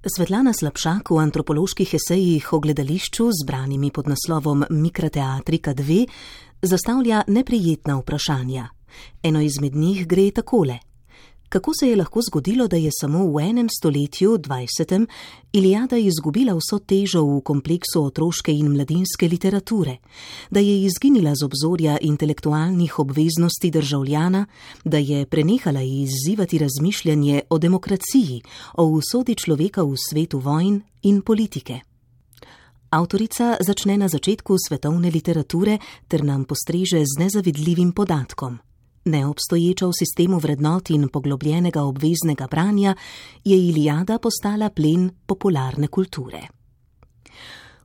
Svetlana Slapšak v antropoloških esejih o gledališču, zbranimi pod naslovom Mikroteatrika 2, zastavlja neprijetna vprašanja. Eno izmed njih gre takole. Kako se je lahko zgodilo, da je samo v enem stoletju, 20., Iliada izgubila vso težo v kompleksu otroške in mladinske literature, da je izginila z obzorja intelektualnih obveznosti državljana, da je prenehala izzivati razmišljanje o demokraciji, o usodi človeka v svetu vojn in politike? Avtorica začne na začetku svetovne literature ter nam postreže z nezavidljivim podatkom. Neobstoječa v sistemu vrednot in poglobljenega obveznega branja, je Iliada postala plen popularne kulture.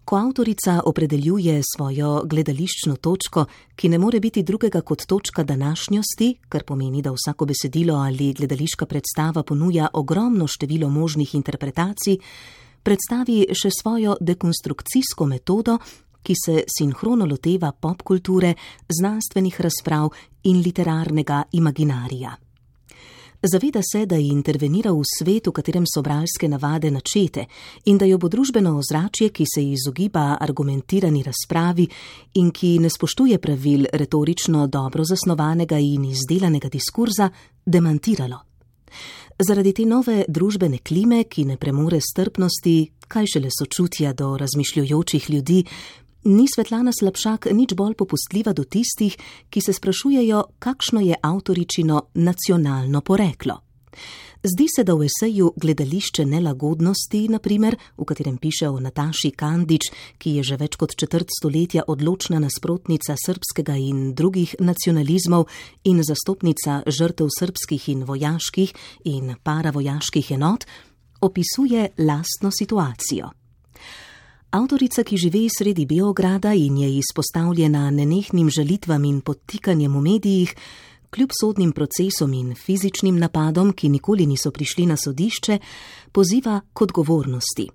Ko avtorica opredeljuje svojo gledališčno točko, ki ne more biti drugega kot točka današnjosti, kar pomeni, da vsako besedilo ali gledališka predstava ponuja ogromno število možnih interpretacij, predstavi še svojo dekonstrukcijsko metodo, ki se sinhrono loteva popkulture, znanstvenih razprav in literarnega imaginarija. Zaveda se, da intervenira v svet, v katerem so bralske navade načete in da jo bo družbeno ozračje, ki se izogiba argumentirani razpravi in ki ne spoštuje pravil retorično dobro zasnovanega in izdelanega diskurza, demantiralo. Zaradi te nove družbene klime, ki ne premore strpnosti, kaj šele sočutja do razmišljujočih ljudi, ni Svetlana Slapšak nič bolj popustljiva do tistih, ki se sprašujejo, kakšno je avtoričino nacionalno poreklo. Zdi se, da v eseju Gledališče nelagodnosti, na primer, v katerem piše o Nataši Kandič, ki je že več kot četrt stoletja odločna nasprotnica srbskega in drugih nacionalizmov in zastopnica žrtev srbskih in vojaških in paravojaških enot, opisuje lastno situacijo. Avtorica, ki živi sredi Beograda in je izpostavljena nenehnim žalitvam in podtikanjem v medijih, kljub sodnim procesom in fizičnim napadom, ki nikoli niso prišli na sodišče, poziva k odgovornosti.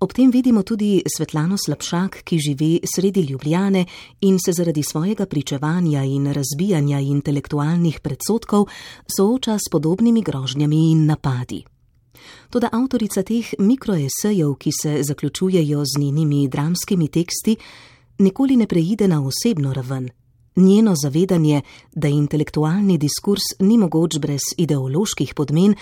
Ob tem vidimo tudi Svetlano Slapšak, ki živi sredi Ljubljane in se zaradi svojega pričevanja in razbijanja intelektualnih predsodkov sooča s podobnimi grožnjami in napadi. Toda avtorica teh mikroesejev, ki se zaključujejo z njenimi dramskimi teksti, nikoli ne preide na osebno raven. Njeno zavedanje, da intelektualni diskurs ni mogoč brez ideoloških podmen,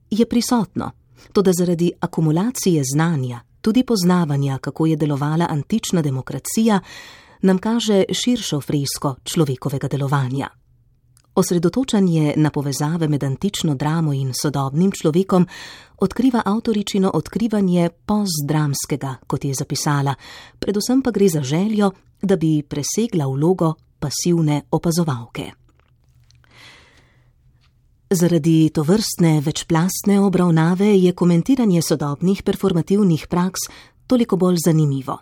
je prisotno, toda zaradi akumulacije znanja, tudi poznavanja, kako je delovala antična demokracija, nam kaže širšo fresko človekovega delovanja. Osredotočanje na povezave med antično dramo in sodobnim človekom odkriva avtoričino odkrivanje postdramskega, kot je zapisala, predvsem pa gre za željo, da bi presegla vlogo pasivne opazovalke. Zaradi tovrstne večplastne obravnave je komentiranje sodobnih performativnih praks toliko bolj zanimivo.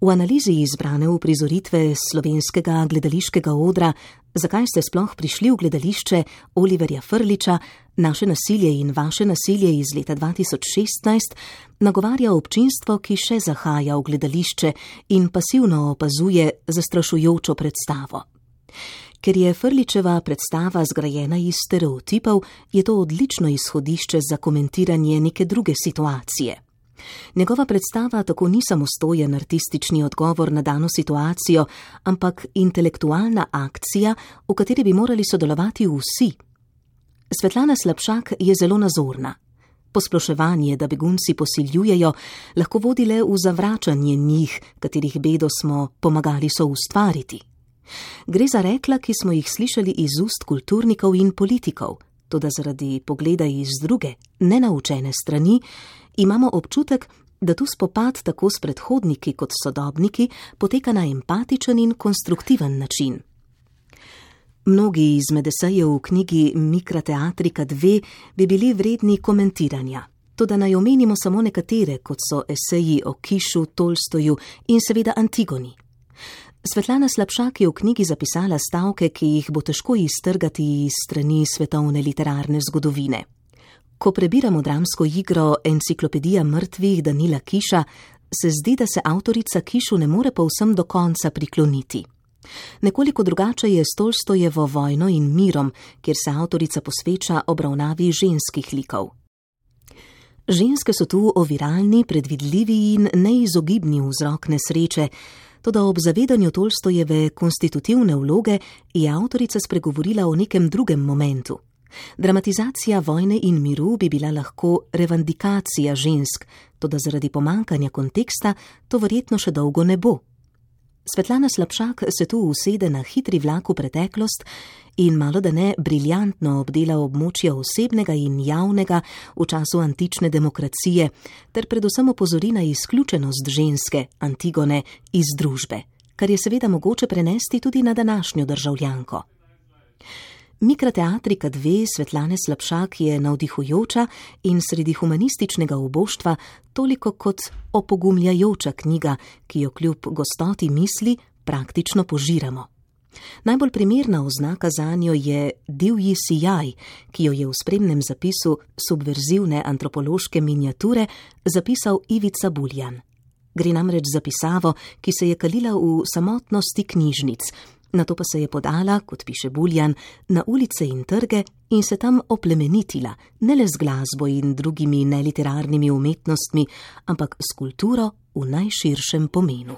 V analizi izbrane uprizoritve slovenskega gledališkega odra Zakaj ste sploh prišli v gledališče Oliverja Frljića, Naše nasilje in vaše nasilje iz leta 2016, nagovarja občinstvo, ki še zahaja v gledališče in pasivno opazuje zastrašujočo predstavo. Ker je Frljićeva predstava zgrajena iz stereotipov, je to odlično izhodišče za komentiranje neke druge situacije. Njegova predstava tako ni samostojen artistični odgovor na dano situacijo, ampak intelektualna akcija, v kateri bi morali sodelovati vsi. Svetlana Slapšak je zelo nazorna. Posploševanje, da begunci posiljujejo, lahko vodi le v zavračanje njih, katerih bedo smo pomagali soustvariti. Gre za rekla, ki smo jih slišali iz ust kulturnikov in politikov, toda zaradi pogleda iz druge, nenaučene strani, imamo občutek, da tu spopad tako s predhodniki kot sodobniki poteka na empatičen in konstruktiven način. Mnogi izmed esejev v knjigi Mikroteatrika 2 bi bili vredni komentiranja, toda naj omenimo samo nekatere, kot so eseji o Kišu, Tolstoju in seveda Antigoni. Svetlana Slapšak je v knjigi zapisala stavke, ki jih bo težko iztrgati iz strani svetovne literarne zgodovine. Ko prebiramo dramsko igro Enciklopedija mrtvih Danila Kiša, se zdi, da se avtorica Kišu ne more povsem do konca prikloniti. Nekoliko drugače je s Tolstojevo Vojno in mirom, kjer se avtorica posveča obravnavi ženskih likov. Ženske so tu oviralni, predvidljivi in neizogibni vzrok nesreče, toda ob zavedanju Tolstojeve konstitutivne vloge je avtorica spregovorila o nekem drugem momentu. Dramatizacija vojne in miru bi bila lahko revandikacija žensk, toda zaradi pomankanja konteksta to verjetno še dolgo ne bo. Svetlana Slapšak se tu usede na hitri vlak v preteklost in malodane briljantno obdela območja osebnega in javnega v času antične demokracije ter predvsem opozori na izključenost ženske, Antigone, iz družbe, kar je seveda mogoče prenesti tudi na današnjo državljanko. Mikrateatrika 2 Svetlane Slapšak je navdihujoča in sredi humanističnega uboštva toliko kot opogumljajoča knjiga, ki jo kljub gostoti misli praktično požiramo. Najbolj primerna oznaka zanjo je divji sijaj, ki jo je v spremnem zapisu subverzivne antropološke miniature zapisal Ivica Buljan. Gre namreč za pisavo, ki se je kalila v samotnosti knjižnic, nato pa se je podala, kot piše Buljan, na ulice in trge in se tam oplemenitila, ne le z glasbo in drugimi neliterarnimi umetnostmi, ampak s kulturo v najširšem pomenu.